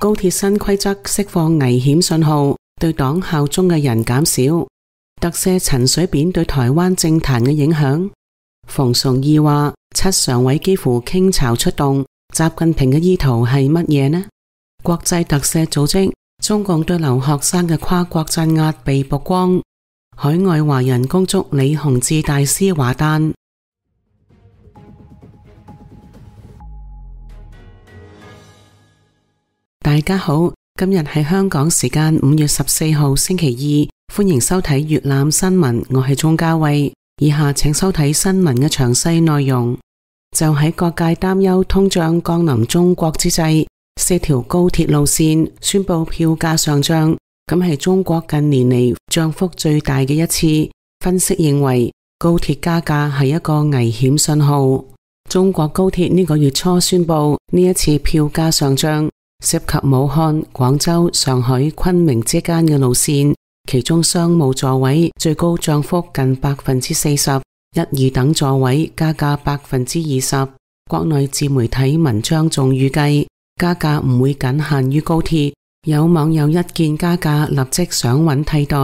高鐵新規則釋放危險信號，對黨效忠嘅人減少。特赦陳水扁對台灣政壇嘅影響。馮崇義話7常委幾乎傾巢出動，習近平嘅意圖係乜嘢呢？國際特赦組織，中共對留學生嘅跨國鎮壓被曝光。海外華人恭祝李洪志大師華誕。大家好，今日係香港時間5月14號星期二，歡迎收睇粵覽新聞，我係鍾嘉慧。以下請收睇新聞嘅詳細內容。就喺各界擔憂通脹降臨中國之際，4條高鐵路線宣布票價上漲，咁係中國近年嚟漲幅最大嘅一次。分析認為，高鐵加價係一個危險信號。中國高鐵呢個月初宣布呢一次票價上漲，涉及武漢、廣州、上海、昆明之間嘅路線，其中商務座位最高漲幅近40%，一二等座位加價20%。國內自媒體文章仲預計加價唔會僅限於高鐵，有網友一見加價立即想揾替代，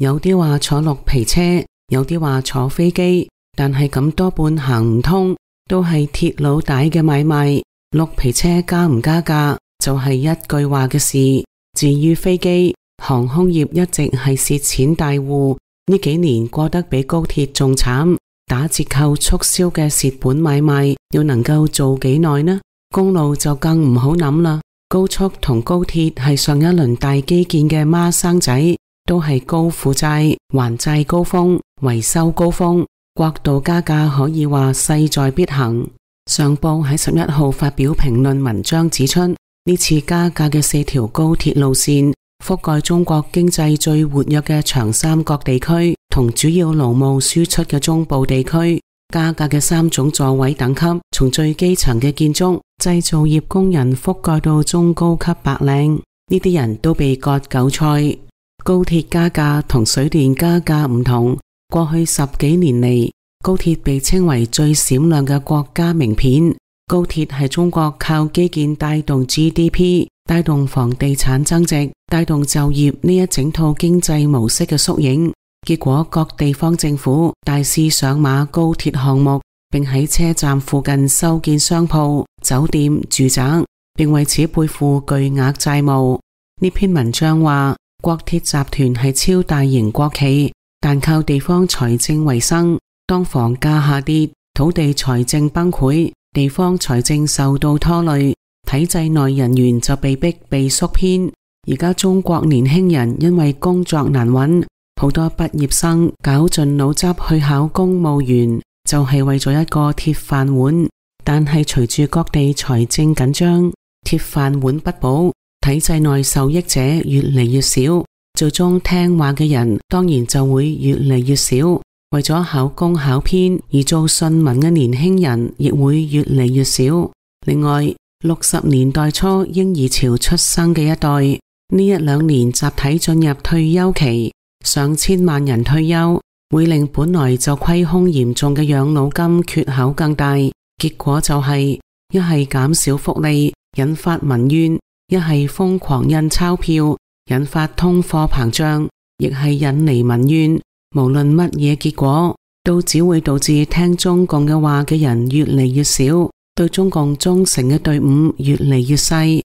有啲話坐綠皮車，有啲話坐飛機，但係咁多半行唔通，都係鐵路帶嘅買賣。綠皮車加唔加價就係一句話嘅事。至於飛機，航空業一直係蝕錢大戶，呢幾年過得比高鐵仲慘。打折扣促銷嘅蝕本買賣要能夠做幾耐呢？公路就更唔好諗啦。高速同高鐵係上一輪大基建嘅孖生仔，都係高負債、還債高峰、維修高峰。國道加價可以話勢在必行。上報喺11號發表評論文章指出，呢次加價嘅4條高鐵路線覆蓋中國經濟最活躍嘅長三角地區同主要勞務輸出嘅中部地區。加價嘅3種座位等級，從最基層嘅建築、製造業工人覆蓋到中高級白領，呢啲人都被割韭菜。高鐵加價同水電加價唔同，過去10幾年嚟，高鐵被稱為最閃亮嘅國家名片。高鐵係中國靠基建帶動 GDP、帶動房地產增值、帶動就業呢一整套經濟模式嘅縮影。結果各地方政府大肆上馬高鐵項目，並喺車站附近修建商鋪、酒店、住宅，並為此背負巨額債務。呢篇文章話，國鐵集團係超大型國企，但靠地方財政為生。當房價下跌，土地財政崩潰，地方財政受到拖累，體制內人員就被逼被縮編。而家中國年輕人因為工作難揾，好多畢業生絞盡腦汁去考公務員，就係為咗一個鐵飯碗。但係隨住各地財政緊張，鐵飯碗不保，體制內受益者越嚟越少，最終聽話嘅人當然就會越嚟越少。為咗考公考編而做順民嘅年輕人亦會越嚟越少。另外，60年代初嬰兒潮出生嘅一代，呢1-2年集體進入退休期，上千萬人退休，會令本來就虧空嚴重嘅養老金缺口更大。結果就係一係減少福利，引發民怨；一係瘋狂印鈔票，引發通貨膨脹，亦係引嚟民怨。無論乜嘢結果，都只會導致聽中共嘅話嘅人越嚟越少，對中共忠誠嘅隊伍越嚟越細。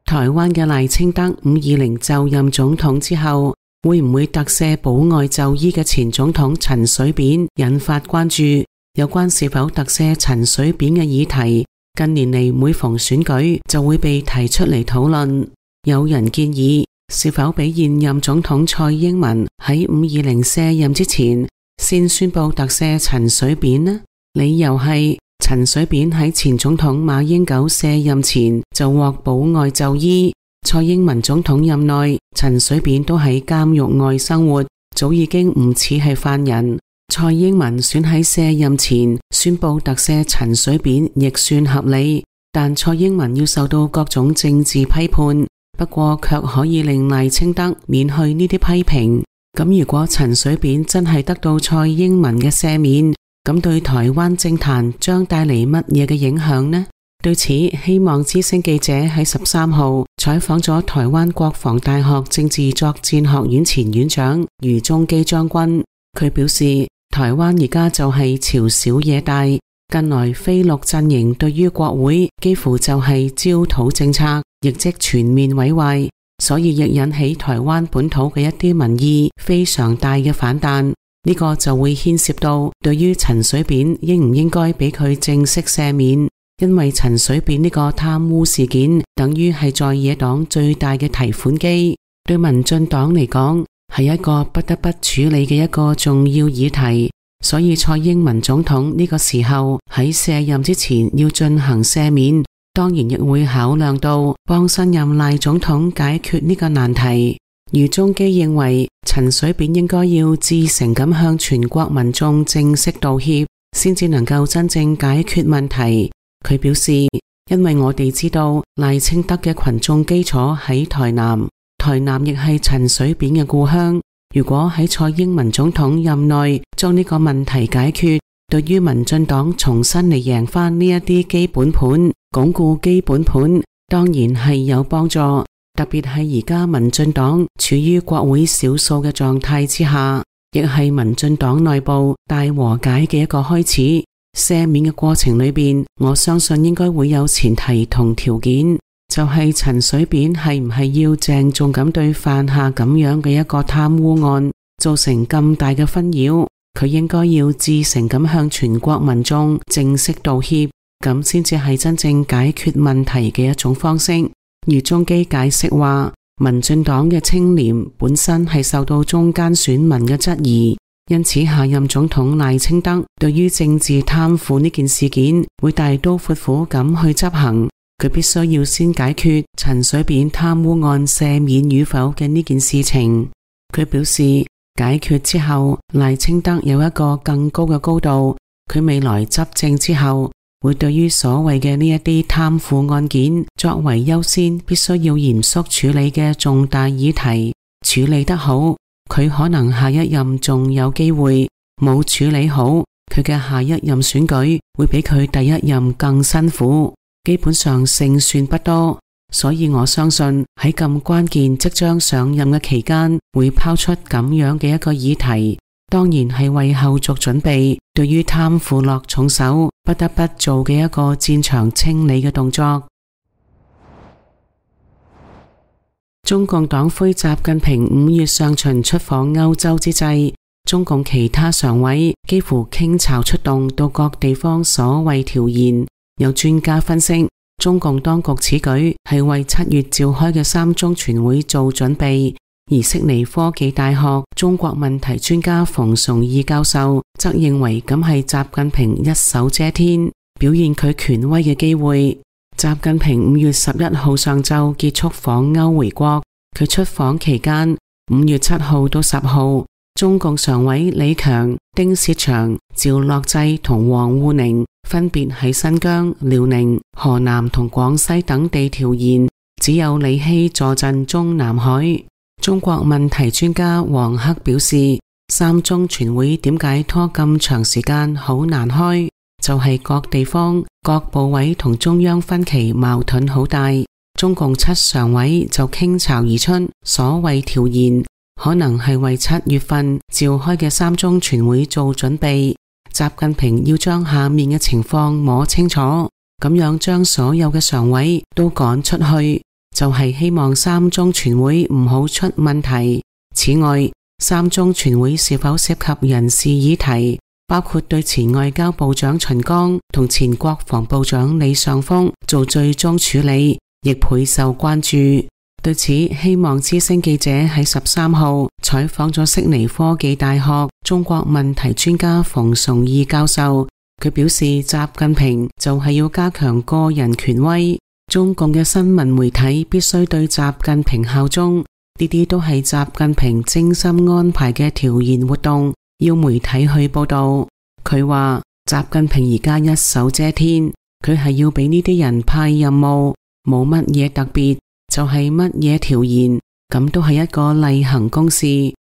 台灣嘅賴清德520就任總統之後，會唔會特赦保外就醫嘅前總統陳水扁，引發關注。有關是否特赦陳水扁嘅議題，近年嚟每逢選舉就會被提出嚟討論。有人建議，是否俾現任總統蔡英文喺520卸任之前，先宣布特赦陳水扁呢？理由係陳水扁喺前總統馬英九卸任前就獲保外就醫，蔡英文總統任內，陳水扁都喺監獄外生活，早已經唔似係犯人。蔡英文選喺卸任前宣布特赦陳水扁亦算合理，但蔡英文要受到各種政治批判，不過卻可以令賴清德免去呢啲批評。咁如果陳水扁真係得到蔡英文嘅赦免，咁對台灣政壇將帶嚟乜嘢嘅影響呢？對此，希望之聲記者喺13號採訪咗台灣國防大學政治作戰學院前院長余宗基將軍。佢表示，台灣而家就係朝小野大，近來非綠陣營對於國會幾乎就係焦土政策，亦即全面毀壞，所以亦引起台灣本土嘅一啲民意非常大嘅反彈。呢個就會牽涉到對於陳水扁應唔應該俾佢正式赦免。因為陳水扁呢個貪污事件，等於係在野黨最大嘅提款機，對民進黨嚟講係一個不得不處理嘅一個重要議題。所以蔡英文總統呢個時候喺卸任之前要進行赦免，當然亦會考量到幫新任賴總統解決呢個難題。余宗基認為陳水扁應該要至誠咁向全國民眾正式道歉，先至能夠真正解決問題。佢表示，因為我哋知道賴清德嘅群眾基礎喺台南，台南亦係陳水扁嘅故鄉。如果喺蔡英文總統任內將呢個問題解決，對於民進黨重新嚟贏翻呢一啲基本盤，鞏固基本盤，當然係有幫助。特別係而家民進黨處於國會少數嘅狀態之下，亦係民進黨內部大和解嘅一個開始。赦免嘅過程裏邊，我相信應該會有前提同條件，就係陳水扁係唔係要鄭重咁對犯下咁樣嘅一個貪污案造成咁大嘅紛擾，佢應該要至誠咁向全國民眾正式道歉，咁先至係真正解決問題嘅一種方式。余宗基解釋話，民進黨嘅清廉本身係受到中間選民嘅質疑。因此，下任總統賴清德對於政治貪腐呢件事件會大刀闊斧咁去執行，佢必須要先解決陳水扁貪污案赦免與否嘅呢件事情。佢表示，解決之後，賴清德有一個更高嘅高度，佢未來執政之後，會對於所謂嘅呢一啲貪腐案件作為優先必須要嚴肅處理嘅重大議題，處理得好，佢可能下一任仲有機會，冇處理好，佢嘅下一任選舉會比佢第一任更辛苦，基本上勝算不多。所以我相信喺咁關鍵即將上任嘅期間，會拋出咁樣嘅一個議題，當然係為後續準備，對於貪腐落重手，不得不做嘅一個戰場清理嘅動作。中共黨魁習近平5月上旬出訪歐洲之際，中共其他常委幾乎傾巢出動到各地方所謂調研。有專家分析，中共當局此舉係為7月召開嘅3中全會做準備。而悉尼科技大學中國問題專家馮崇義教授則認為咁係習近平一手遮天，表現佢權威嘅機會。習近平5月11號上晝結束訪歐回國，佢出訪期間5月7號到10號，中共常委李強、丁薛祥、趙樂際同王滬寧分別喺新疆、遼寧、河南同廣西等地調研，只有李希坐鎮中南海。中國問題專家王克表示，3中全會點解拖咁長時間好難開，就係各地方各部委同中央分歧矛盾好大，中共7常委就傾巢而出，所謂調研可能係為7月份召開嘅3中全會做準備。習近平要將下面嘅情況摸清楚，咁樣將所有嘅常委都趕出去，就係希望3中全會唔好出問題。此外，3中全會是否涉及人事議題，包括對前外交部長秦剛同前國防部長李尚福做最終處理，亦倍受關注。對此，希望之聲記者喺13號採訪咗悉尼科技大學中國問題專家馮崇義教授，佢表示習近平就係要加強個人權威，中共嘅新聞媒體必須對習近平效忠，呢啲都係習近平精心安排嘅調研活動，要媒體去報道。佢話習近平而家一手遮天，佢係要俾呢啲人派任務，冇乜嘢特別，就係乜嘢調研，咁都係一個例行公事，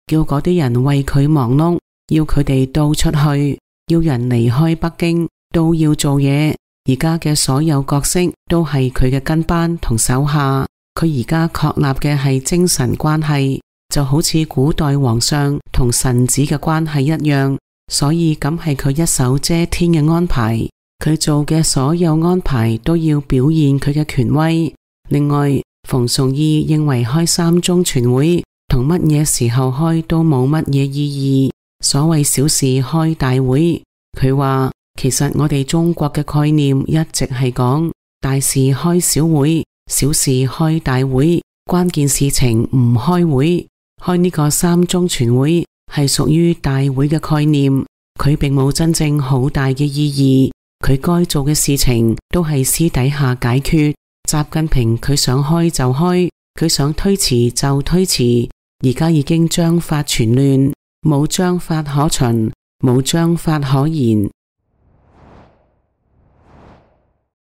叫嗰啲人為佢忙碌，要佢哋到出去，要人離開北京都要做嘢，而家嘅所有角色都係佢嘅跟班同手下。佢而家確立嘅係精神關係，就好似古代皇上同臣子嘅關係一樣，所以咁係佢一手遮天嘅安排。佢做嘅所有安排都要表現佢嘅權威。另外，馮崇義認為開三中全會同乜嘢時候開都冇乜嘢意義，所謂小事開大會。佢話其實我哋中國嘅概念一直係講大事開小會，小事開大會，關鍵事情唔開會。開呢個三中全會係屬於大會嘅概念，佢並冇真正好大嘅意義。佢該做嘅事情都係私底下解決。習近平佢想開就開，佢想推遲就推遲。而家已經章法全亂，冇章法可循，冇章法可言。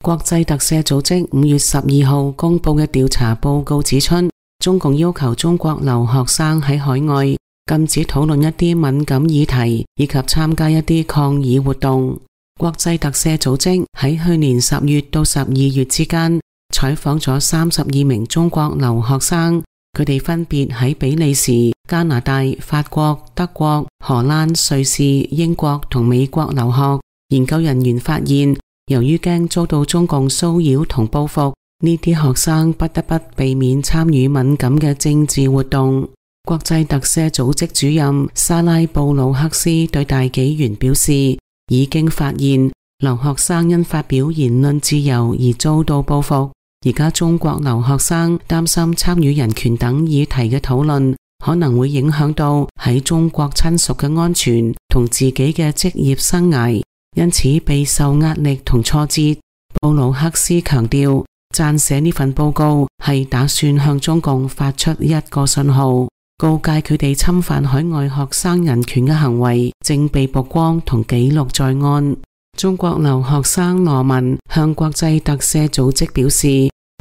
國際特赦組織5月12號公布嘅調查報告指出，中共要求中國留學生喺海外禁止討論一啲敏感議題，以及參加一啲抗議活動。國際特赦組織喺去年10月到12月之間採訪咗32名中國留學生，佢哋分別喺比利時、加拿大、法國、德國、荷蘭、瑞士、英國同美國留學。研究人員發現，由於驚遭到中共騷擾同報復，呢啲學生不得不避免參與敏感嘅政治活動。國際特赦組織主任沙拉布魯克斯對大紀元表示，已經發現留學生因發表言論自由而遭到報復。而家中國留學生擔心參與人權等議題嘅討論可能會影響到喺中國親屬嘅安全同自己嘅職業生涯，因此備受壓力同挫折。布魯克斯強調，撰寫呢份報告係打算向中共發出一個信號，告誡佢哋侵犯海外學生人權嘅行為正被曝光同記錄在案。中國留學生羅文向國際特赦組織表示，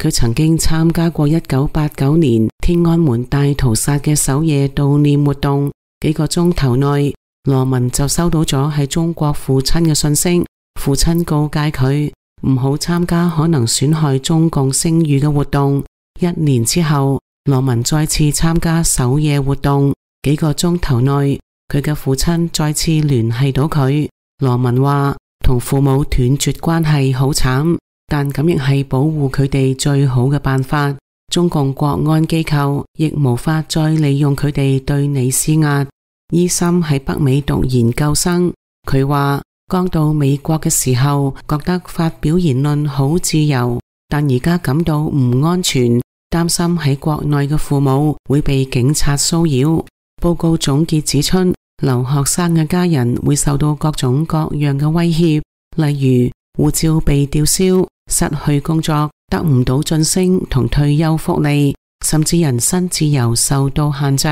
佢曾經參加過1989年天安門大屠殺嘅首夜悼念活動，幾個鐘頭內，羅文就收到咗喺中國父親嘅信息，父親告誡佢唔好參加可能損害中共聲譽嘅活動。1年之後，羅文再次參加首夜活動，幾個鐘頭內，佢嘅父親再次聯繫到佢。羅文話，同父母斷絕關係好慘，但咁亦係保護佢哋最好嘅辦法。中共國安機構亦無法再利用佢哋對你施壓。伊森喺北美讀研究生，佢話剛到美國嘅時候覺得發表言論好自由，但而家感到唔安全，擔心喺國內嘅父母會被警察騷擾。報告總結指出，留學生嘅家人會受到各種各樣嘅威脅，例如護照被吊銷、失去工作、得唔到晉升同退休福利，甚至人身自由受到限制。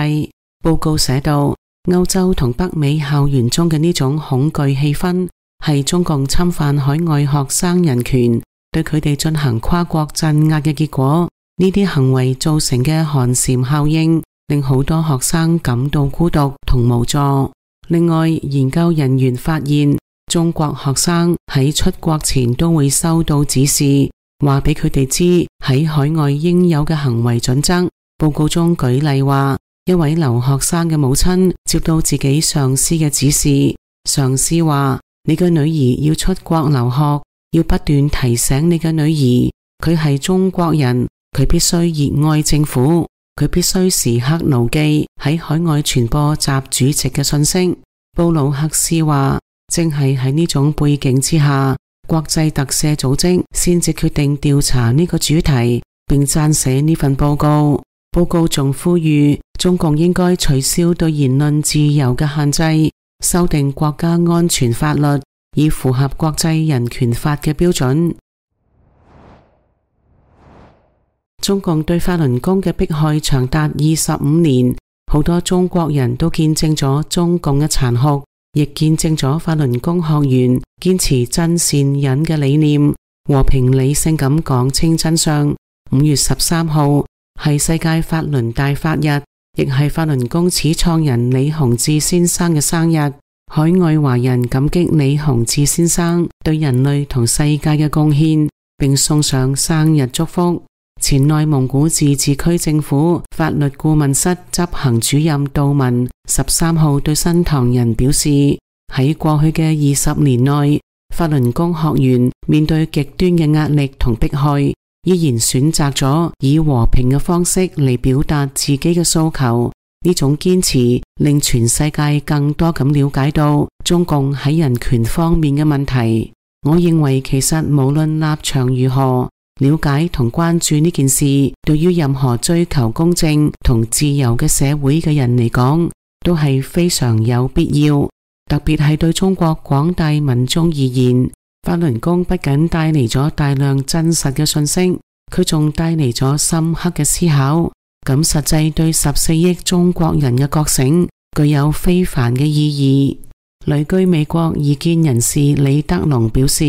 報告寫道，歐洲同北美校園中嘅呢種恐懼氣氛係中共侵犯海外學生人權，對佢哋進行跨國鎮壓嘅結果。呢啲行為造成嘅寒蟬效應令好多學生感到孤獨同無助。另外，研究人員發現，中國學生喺出國前都會收到指示，話俾佢哋知喺海外應有嘅行為準則。報告中舉例話，一位留學生嘅母親接到自己上司嘅指示，上司話，你嘅女兒要出國留學，要不斷提醒你嘅女兒，佢係中國人，佢必須熱愛政府，佢必須時刻牢記喺海外傳播習主席嘅信息。布魯克斯話，正係喺呢種背景之下，國際特赦組織先至決定調查呢個主題，並撰寫呢份報告。報告仲呼籲中共應該取消對言論自由嘅限制，修訂國家安全法律，以符合國際人權法嘅標準。中共對法輪功嘅迫害長達25年，好多中國人都見證咗中共嘅殘酷，亦見證咗法輪功學員堅持真善忍嘅理念，和平理性咁講清真相。5月13號係世界法輪大法日，亦係法輪功始創人李洪志先生嘅生日。海外華人感激李洪志先生對人類同世界嘅貢獻，並送上生日祝福。前內蒙古自治區政府法律顧問室執行主任杜文13號對新唐人表示，喺過去嘅20年內，法輪功學員面對極端嘅壓力同迫害，依然選擇咗以和平嘅方式嚟表達自己嘅訴求。呢種堅持令全世界更多咁了解到中共喺人權方面嘅問題。我認為其實無論立場如何，了解同關注呢件事，對於任何追求公正同自由嘅社會嘅人嚟講，都係非常有必要。特別係對中國廣大民眾而言，法輪功不僅帶嚟咗大量真實嘅信息，佢仲帶嚟咗深刻嘅思考。咁實際對14億中國人嘅覺醒具有非凡嘅意義。旅居美國異見人士李德龍表示，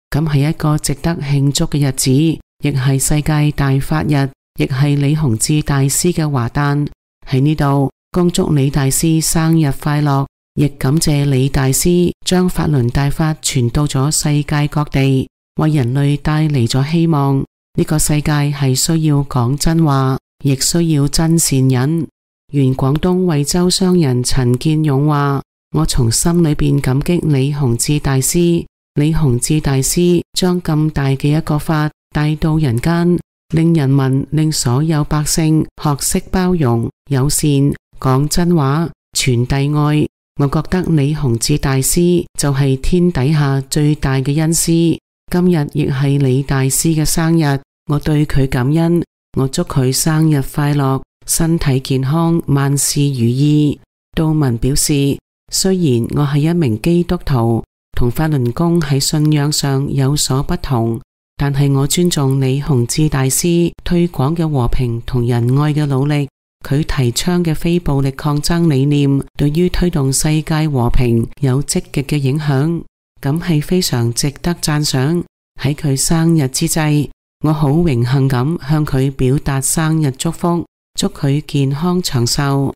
咁係一個值得慶祝嘅日子，亦係世界大法日，亦係李洪志大師嘅華誕。喺呢度恭祝李大師生日快樂，亦感謝李大師將法輪大法傳到咗世界各地，為人類帶嚟咗希望。呢個世界係需要講真話，亦需要真善忍。原廣東惠州商人陳建勇話，我從心裏邊感激李洪志大師。李洪志大師將咁大嘅一個法帶到人間，令所有百姓學識包容、友善、講真話、傳遞愛。我覺得李洪志大師就係天底下最大嘅恩師。今日亦係李大師嘅生日，我對佢感恩，我祝佢生日快樂，身體健康，萬事如意。杜文表示，雖然我係一名基督徒，同法輪功喺信仰上有所不同，但係我尊重李洪志大師推廣嘅和平同仁愛嘅努力。佢提倡嘅非暴力抗爭理念，對於推動世界和平有積極嘅影響，咁係非常值得讚賞。喺佢生日之際，我好榮幸咁向佢表達生日祝福，祝佢健康長壽。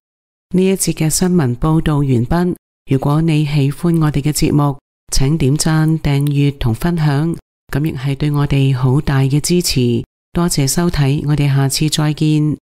呢一節嘅新聞報道完畢。如果你喜歡我哋嘅節目，請點讚、訂閱同分享，咁亦係對我哋好大嘅支持。多謝收睇，我哋下次再見。